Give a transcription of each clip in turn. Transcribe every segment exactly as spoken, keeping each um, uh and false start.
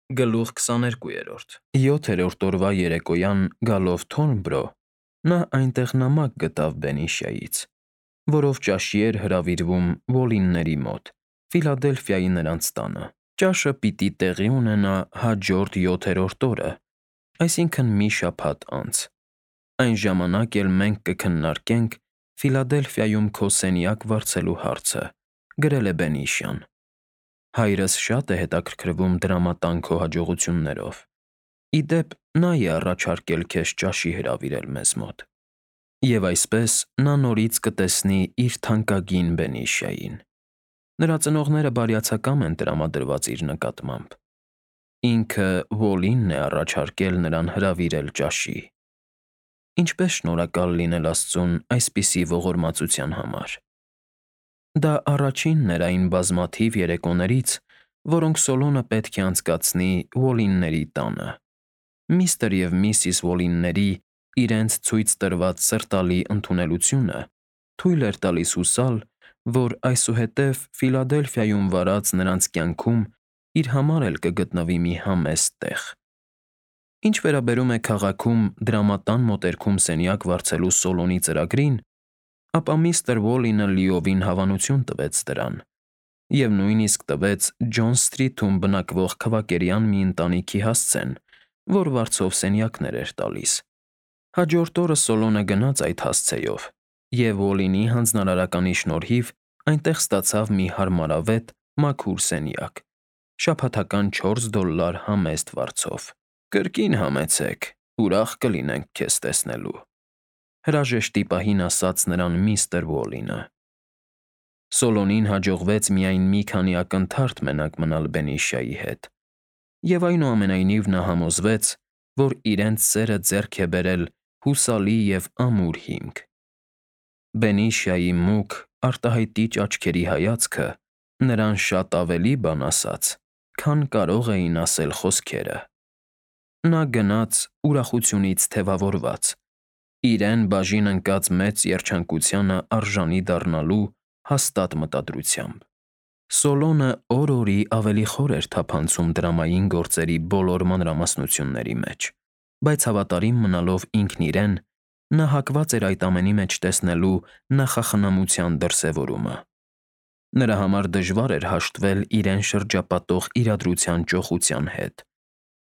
Գլուխ քսաներկու։ Յոթերորդ օրվա երեկոյան գալով Թորնբրո, նա այնտեղ նամակ գտավ Բենիշիայից, որով ճաշի էր հրավիրվում Ուոլլինգների մոտ, Ֆիլադելֆիայի նրանց տանը։ Ճաշը պիտի տեղի ունենա հաջորդ յոթերորդ օրը, այսինքն՝ մի շաբաթ անց։ Այն ժամանակ էլ մենք կքննարկենք Ֆիլադելֆիայում քո սենյակ վարձելու հարցը, գրել է Բենիշիան։ Հայրս շատ է հետաքրքրվում դրամատան քո հաջողություններով։ Ի դեպ, նա է առաջարկել քեզ ճաշի հրավիրել մեզ մոտ։ Եվ այսպես նա նորից կտեսնի իր թանկագին Բենիշիային։ Նրա ծնողները բարյացակամ են տրամադրված իր նկատմամբ։ Ինքը Ուոլլինգն է առաջարկել նրան հրավիրել ճաշի։ Ինչպե՜ս շնորհակալ լինել աստծուն այսպիսի ողորմածության համար։ Դա առաջինն էր այն բազմաթիվ երեկոներից, որոնք Սոլոնը պետք է անցկացնի Ուոլլինգների տանը։ Միստր և Միսիս Ուոլլինգների իրենց ցույց տրված սրտալի ընդունելությունը թույլ էր տալիս հուսալ, որ այսուհետև Ֆիլադելֆիայում վարած նրանց կյանքում իր համար էլ կգտնվի մի համեստ տեղ։ Ինչ վերաբերում է քաղաքում դրամատան մոտերքում սենյակ վարձելու Սոլոնի ծրագրին, ապա միստր Ուոլլինգը լիովին հավանություն տվեց դրան և նույնիսկ տվեց Ջոն Սթրիթում բնակվող քվակերյան մի ընտանիքի հասցեն, որ վարձով սենյակներ էր տալիս։ Հաջորդ օրը Սոլոնը գնաց այդ հասցեով և Ուոլլինգի հանձնարարականի շնորհիվ այնտեղ ստացավ մի հարմարավետ, մաքուր սենյակ՝ շաբաթական չորս դոլար համեստ վարձով։ «Կրկին համեցեք, ուրախ կլինենք քեզ տեսնելու», հրաժեշտի պահին ասաց նրան միստր Ուոլլինգը։ Սոլոնին հաջողվեց միայն մի քանի ակնթարթ մենակ մնալ Բենիշիայի հետ, և այնուամենայնիվ նա համոզվեց, որ իրենց սերը ձեռք է բերել հուսալի և ամուր հիմք։ Բենիշիայի մուգ, արտահայտիչ աչքերի հայացքը նրան շատ ավելի բան ասաց, քան կարող էին ասել խոսքերը։ Նա գնաց ուրախությունից թևավորված, իրեն բաժին ընկած մեծ երջանկությանը արժանի դառնալու հաստատ մտադրությամբ։ Սոլոնը օր֊օրի ավելի խոր էր թափանցում դրամային գործերի բոլոր մանրամասնությունների մեջ, բայց հավատարիմ մնալով ինքն իրեն՝ նա հակված էր այդ ամենի մեջ տեսնելու նախախնամության դրսևորումը։ Նրա համար դժվար էր հաշտվել իրեն շրջապատող իրադրության ճոխության հետ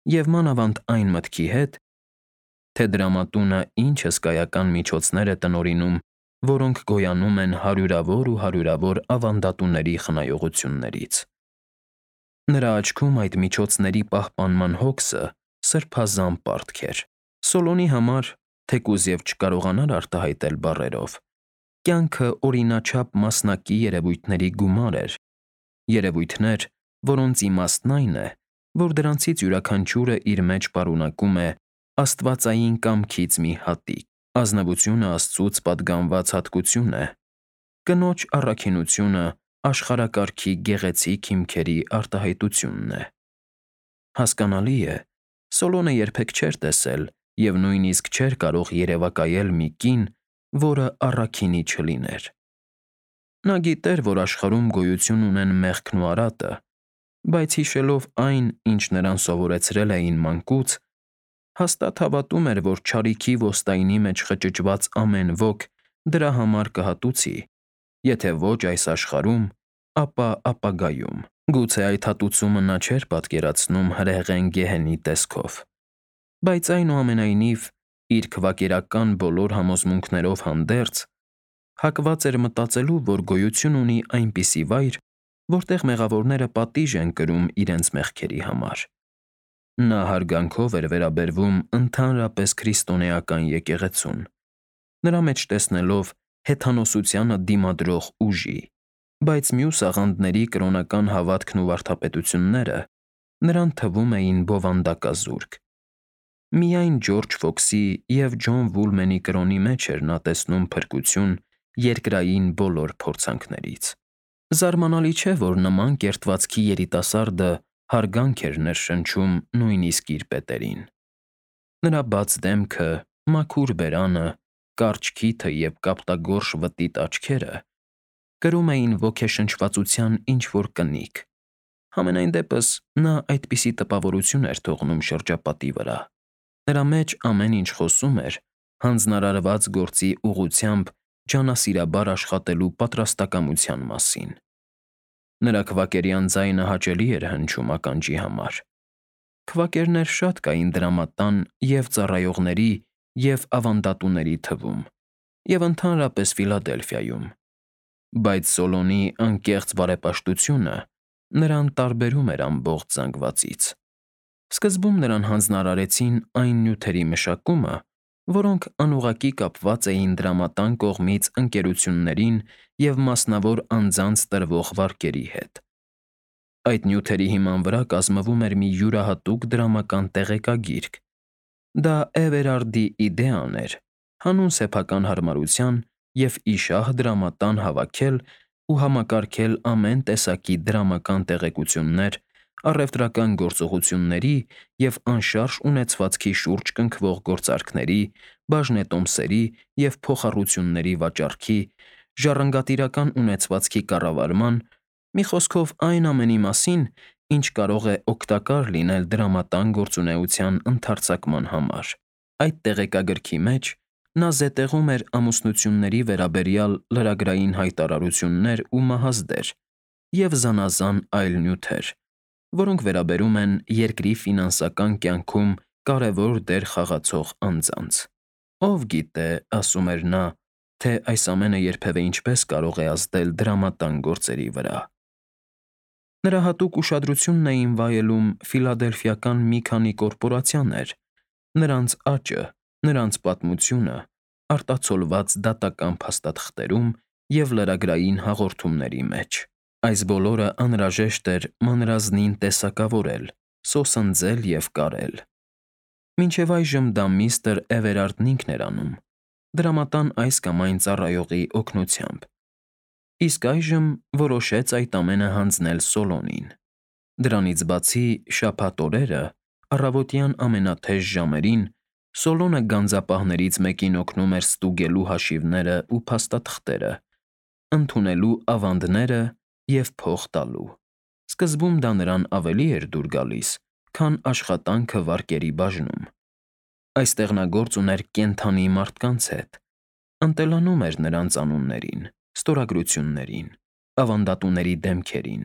և մանավանդ այն մտքի հետ, թե դրամատունը ինչ հսկայական միջոցներ է տնօրինում, որոնք գոյանում են հարյուրավոր ու հարյուրավոր ավանդատուների խնայողություններից։ Նրա աչքում այդ միջոցների պահպանման հոգսը սրբազան պարտք էր։ Սոլոնի համար, թեկուզ և չկարողանար արտահայտել բառերով, կյանքը օրինաչափ մասնակի երևույթների գումար էր, երևույթներ, որոնց իմաստն այն է, որ դրանցից յուրաքանչյուրը իր մեջ պարունակում է աստվածային կամքից մի հատիկ, ազնվությունը Աստծուց պատգամված հատկություն է, կնոջ առաքինությունը աշխարհակարգի գեղեցիկ հիմքերի արտահայտությունն է։ Հասկանալի է, Սոլոնը երբեք չէր տեսել և նույնիսկ չէր կարող երևակայել մի կին, որը առաքինի չլիներ։ Նա գիտեր, որ աշխարհում գոյություն ունեն մեղքն ու արատը, բայց հիշելով այն, ինչ նրան սովորեցրել էին մանկուց, հաստատ հավատում էր, որ չարիքի ոստայնի մեջ խճճված ամեն ոք դրա համար կհատուցի, եթե ոչ այս աշխարհում, ապա ապագայում։ Գուցե այդ հատուցումը նա չէր պատկերացնում հրեղեն գեհենի տեսքով, բայց այնուամենայնիվ, իր քվակերական բոլոր համոզմունքներով հանդերձ, հակված էր մտածելու, որ գոյություն ունի այնպիսի վայր, որտեղ մեղավորները պատիժ են կրում իրենց մեղքերի համար։ Նա հարգանքով էր վերաբերվում ընդհանրապես քրիստոնեական եկեղեցուն, նրա մեջ տեսնելով հեթանոսությանը դիմադրող ուժի, բայց մյուս աղանդների կրոնական հավատքն ու վարդապետությունները նրան թվում էին բովանդակազուրկ։ Միայն Ջորջ Ֆոքսի և Ջոն Վուլմենի կրոնի մեջ էր նա տեսնում փրկություն երկրային բոլոր փորձանքներից։ Զարմանալի չէ, որ նման կերտվածքի երիտասարդը հարգանք էր ներշնչում նույնիսկ իր պետերին։ Նրա բաց դեմքը, մաքուր բերանը, կարճ քիթը և կապտագորշ վտիտ աչքերը կրում էին ոգեշնչվածության ինչ֊որ կնիկ, Համենայն դեպս նա այդպիսի տպավորություն էր թողնում շրջապատի վրա. նրա մեջ ամեն ինչ խոսում էր հանձնարարված գործի ուղղությամբ ջանասիրաբար աշխատելու պատրաստակամության մասին։ Նրա քվակերյան ձայնը հաճելի էր հնչում ականջի համար։ Քվակերներ շատ կային դրամատան և ծառայողների և ավանդատուների թվում, և ընդհանրապես Ֆիլադելֆիայում, բայց Սոլոնի անկեղծ բարեպաշտությունը նրան տարբերում էր ամբողջ զանգվածից։ Սկզբում նրան հանձնարարեցին այն նյութերի մշակումը, որոնք անուղղակի կապված էին դրամատան կողմից ընկերություններին և մասնավոր անձանց տրվող վարկերի հետ։ Այդ նյութերի հիման վրա կազմվում էր մի յուրահատուկ դրամական տեղեկագիրք։ Դա Էվերարդի իդեան էր հանուն սեփական հարմարության և ի շահ դրամատան հավաքել ու համակարգել ամեն տեսակի դրամական տեղեկություններ առևտրական գործողությունների և անշարժ ունեցվածքի շուրջ կնքվող գործարքների, բաժնետոմսերի և փոխառությունների վաճառքի, ժառանգատիրական ունեցվածքի կառավարման, մի խոսքով այն ամենի մասին, ինչ կարող է օգտակար լինել դրամատան գործունեության ընդարձակման համար։ Այդ տեղեկագրքի մեջ նա զետեղում էր ամուսնությունների վերաբերյալ լրագրային հայտարարություններ ու մահազդեր և զանազան այլ նյութեր, որոնք վերաբերում են երկրի ֆինանսական կյանքում կարևոր դեր խաղացող անձանց։ Ով գիտե, ասում էր նա, թե այս ամենը երբևէ ինչպես կարող է ազդել դրամատան գործերի վրա։ Նրա հատուկ ուշադրությունն էին վայելում ֆիլադելֆիական մի քանի կորպորացիաներ, նրանց աճը, նրանց պատմությունը, արտացոլված դատական փաստաթղթերում և լրագրային հաղորդումների մեջ։ Այս բոլորը անհրաժեշտ էր մանրազնին տեսակավորել, սոսնձել և կարել։ Մինչև այժմ դա միստր Էվերարդն ինքն էր անում՝ դրամատան այս կամ այն ծառայողի օգնությամբ, իսկ այժմ որոշեց այդ ամենը հանձնել Սոլոնին։ Դրանից բացի, շաբաթ օրերը, առավոտյան ամենաթեժ ժամերին, Սոլոնը գանձապահներից մեկին օգնում էր ստուգելու հաշիվները ու փաստաթղթերը, ընդունելու ավանդները և փող տալու։ Սկզբում դա նրան ավելի էր դուր գալիս, քան աշխատանքը վարկերի բաժնում։ Այստեղ նա գործ ուներ կենդանի մարդկանց հետ, ընտելանում էր նրանց անուններին, ստորագրություններին, ավանդատուների դեմքերին։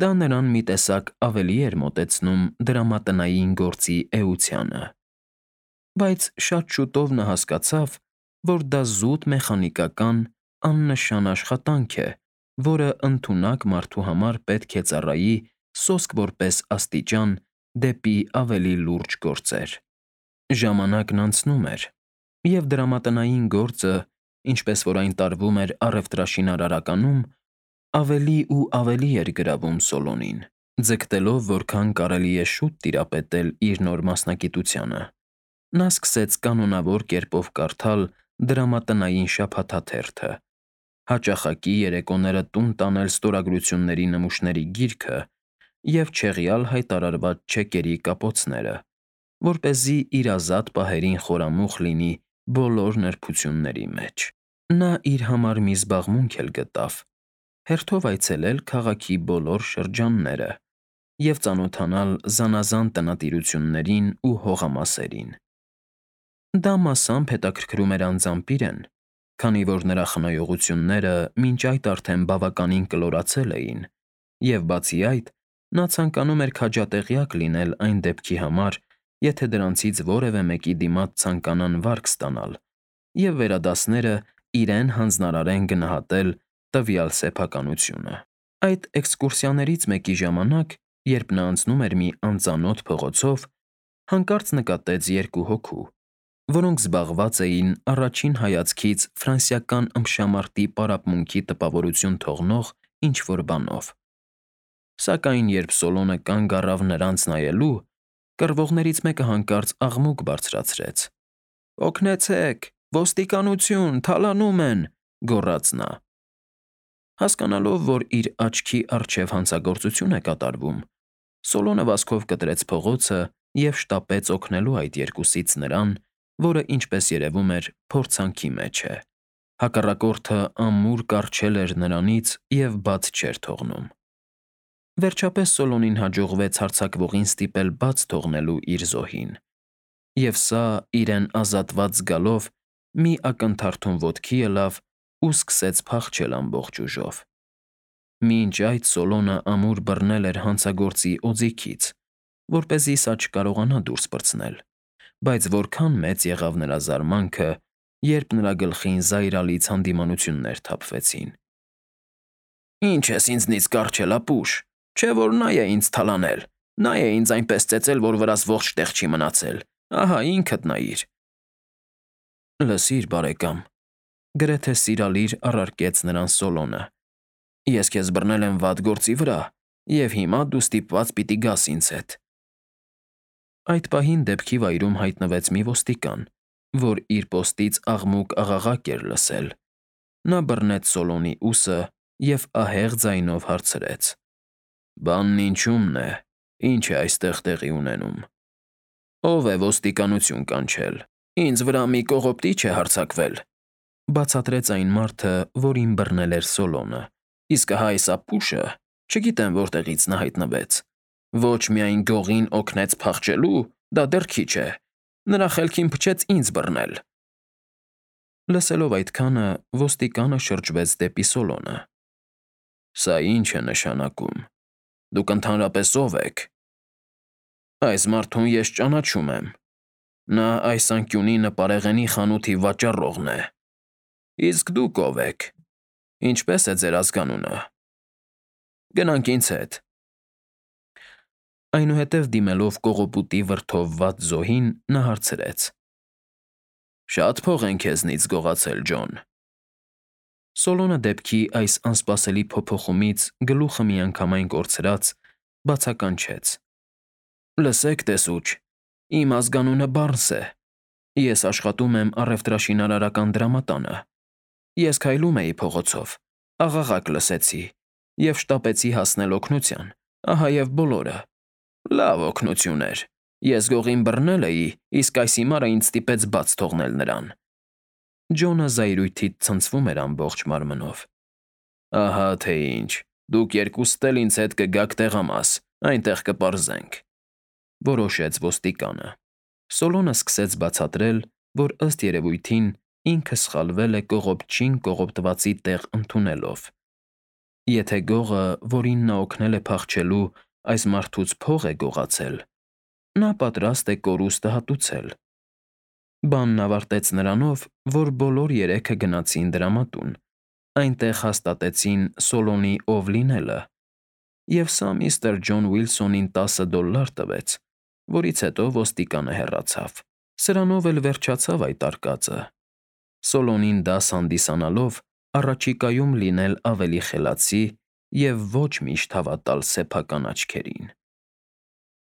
Դա նրան մի տեսակ ավելի էր մոտեցնում դրամատնային գործի էությանը։ Բայց շատ շուտով նա հասկացավ, որ դա զուտ մեխանիկական, աննշան աշխատանք է, որը ընդունակ մարդու համար պետք է ծառայի սոսկ որպես աստիճան դեպի ավելի լուրջ գործեր։ Ժամանակն անցնում էր, և դրամատնային գործը, ինչպես որ այն տարվում էր առևտրաշինարարականում, ավելի ու ավելի էր գրավում Սոլոնին, ձգտելով որքան կարելի է շուտ տիրապետել իր նոր մասնագիտությանը։ Նա սկսեց կանոնավոր կերպով կարդալ դրամատնային շաբաթաթերթը, հաճախակի երեկոները տուն տանել ստորագրությունների նմուշների գիրքը և չեղյալ հայտարարված չեկերի կապոցները, որպեսզի իր ազատ պահերին խորամուխ լինի բոլոր նրբությունների մեջ։ Նա իր համար մի զբաղմունք էլ գտավ՝ հերթով այցելել քաղաքի բոլոր շրջանները և ծանոթանալ զանազան տնտիրություններին ու հողամասերին։ Դա մասամբ հետաքրքրում էր անձամբ իրեն, քանի որ նրա խնայողությունները մինչ այդ արդեն բավականին կլորացել էին, և բացի այդ, նա ցանկանում էր քաջատեղյակ լինել այն դեպքի համար, եթե դրանցից որևէ մեկի դիմաց ցանկանան վարկ ստանալ, և վերադասները իրեն հանձնարարեն գնահատել տվյալ սեփականությունը։ Այդ էքսկուրսիաներից մեկի ժամանակ, երբ նա անցնում էր մի անծանոթ փողոցով, հանկարծ նկատեց երկու հոգու, որոնք զբաղված էին առաջին հայացքից ֆրանսիական ըմբշամարտի պարապմունքի տպավորություն թողնող ինչ֊որ բանով։ Սակայն երբ Սոլոնը կանգ առավ նրանց նայելու, կռվողներից մեկը հանկարծ աղմուկ բարձրացրեց. «Օգնեցե՛ք, ոստիկանություն, թալանում են», ֊ գոռաց նա։ Հասկանալով, որ իր աչքի առջև հանցագործություն է կատարվում, Սոլոնը վազքով կտրեց փողոցը և շտապեց օգնելու այդ երկուսից նրան, որը, ինչպես երևում էր, փորձանքի մեջ է։ Հակառակորդը ամուր կառչել էր նրանից և բաց չէր թողնում։ Վերջապես Սոլոնին հաջողվեց հարձակվողին ստիպել բաց թողնելու իր զոհին, և սա, իրեն ազատված զգալով, մի ակնթարթում ոտքի ելավ ու սկսեց փախչել ամբողջ ուժով։ Մինչ այդ Սոլոնը ամուր բռնել էր հանցագործի օձիքից, որպեսզի սա չկարողանա դուրս պրծնել, բայց որքան մեծ եղավ նրա զարմանքը, երբ նրա գլխին զայրալից հանդիմանություններ թափվեցին։ «Ի՞նչ ես ինձնից կառչել, ապուշ, չէ՞ որ նա է ինձ թալանել, նա է ինձ այնպես ծեծել, որ վրաս ողջ տեղ չի մնացել, ահա ինքդ նայիր»։ «Լսիր, բարեկամ», գրեթե սիրալիր առարկեց նրան Սոլոնը, «ես քեզ բռնել եմ վատ գործի վրա, և հիմա դու ստիպված պիտի գաս ինձ հետ»։ Այդ պահին դեպքի վայրում հայտնվեց մի ոստիկան, որ իր պոստից աղմուկ֊աղաղակ էր լսել։ Նա բռնեց Սոլոնի ուսը և ահեղ ձայնով հարցրեց. «Բանն ինչումն է, ինչ է այստեղ տեղի ունենում»։ «Ո՞վ է ոստիկանություն կանչել, ինձ վրա մի կողոպտիչ է հարձակվել», բացատրեց այն մարդը, որին բռնել էր Սոլոնը, «իսկ ահա այս ապուշը, չգիտեմ որտեղից նա հայտնվեց, ոչ միայն գողին օգնեց փախչելու, դա դեռ քիչ է, նրա խելքին փչեց ինձ բռնել»։ Լսելով այդքանը, ոստիկանը շրջվեց դեպի Սոլոնը։ «Սա ի՞նչ է նշանակում, դուք ընդհանրապես ո՞վ եք»։ «Այս մարդուն ես ճանաչում եմ, նա այս անկյունի նպարեղենի խանութի վաճառողն է։ Իսկ դուք ո՞վ եք, ինչպե՞ս է ձեր ազգանունը։ Գնանք ինձ հետ»։ Այնուհետև դիմելով կողոպուտի վրդովված զոհին, նա հարցրեց. «Շա՞տ փող են քեզնից գողացել, Ջոն»։ Սոլոնը դեպքի այս անսպասելի փոփոխումից գլուխը միանգամայն կորցրած, բացականչեց. «Լսեք, տեսուչ, իմ ազգանունը Բարնս է, ես աշխատում եմ առևտրաշինարարական դրամատանը։ Ես քայլում էի փողոցով, աղաղակ լսեցի և շտապեցի հասնել օգնության, ահա և բոլորը։ Լավ օգնություն էր, ես գողին բռնել էի, իսկ այս հիմարը ինձ ստիպեց բաց թողնել նրան»։ Ջոնը զայրույթից ցնցվում էր ամբողջ մարմնով։ «Ահա թե ինչ, դուք երկուսդ էլ ինձ հետ կգաք տեղամաս, այնտեղ կպարզենք», որոշեց ոստիկանը։ Սոլոնը սկսեց բացատրել, որ ըստ երևույթին ինքը սխալվել է կողոպտչին կողոպտվածի տեղ ընդունելով։ Եթե գողը, որին նա օգնել է փախչելու, այս մարդուց փող է գողացել, նա պատրաստ է կորուստը հատուցել։ Բանն ավարտեց նրանով, որ բոլոր երեքը գնացին դրամատուն, այնտեղ հաստատեցին Սոլոնի ով լինելը, և սա միստր Ջոն Ուիլսոնին տասը դոլլար տվեց, որից հետո ոստիկանը հեռացավ։ Սրանով էլ վերջացավ այդ արկածը։ Սոլոնին դաս հանդիսանալով առաջիկայում լինել ավելի խելացի և ոչ միշտ հավատալ սեփական աչքերին։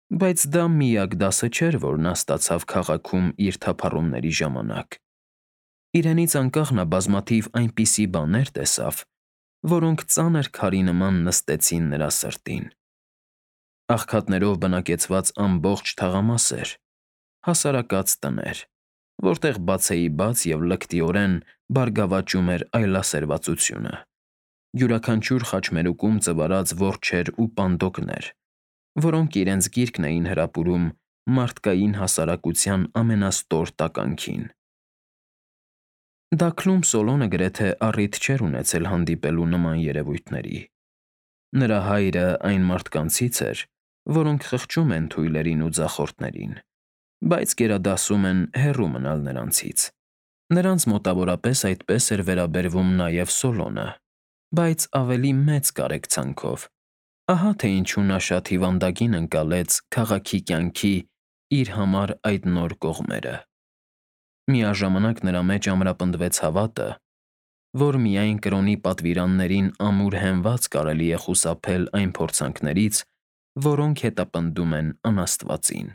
Բայց դա միակ դասը չէր, որ նա ստացավ քաղաքում իր թափառումների ժամանակ։ Իրենից անկախ նա բազմաթիվ այնպիսի բաներ տեսավ, որոնք ծանր քարի նման նստեցին նրա սրտին։ Աղքատներով բնակեցված ամբողջ թաղամասեր, հասարակած տներ, որտեղ բացեիբաց և լկտիորեն բարգավաճում էր այլասերվածությունը, յուրաքանչյուր խաչմերուկում ծվարած որջեր ու պանդոկներ, որոնք իրենց գիրկն էին հրապուրում մարդկային հասարակության ամենաստոր տականքին։ Դաքլում Սոլոնը գրեթե առիթ չէր ունեցել հանդիպելու նման երևույթների։ Նրա հայրը այն մարդկանցից էր, որոնք խղճում են թույլերին ու ձախորդներին, բայց գերադասում են հեռու մնալ նրանցից։ Նրանց մոտավորապես այդպես էր վերաբերվում նաև Սոլոնը, բայց ավելի մեծ կարեկցանքով։ Ահա թե ինչու նա շատ հիվանդագին ընկալեց քաղաքի կյանքի իր համար այդ նոր կողմերը։ Միաժամանակ նրա մեջ ամրապնդվեց հավատը, որ միայն կրոնի պատվիրաններին ամուր հենված կարելի է խուսափել այն փորձանքներից, որոնք հետապնդում են անաստվածին։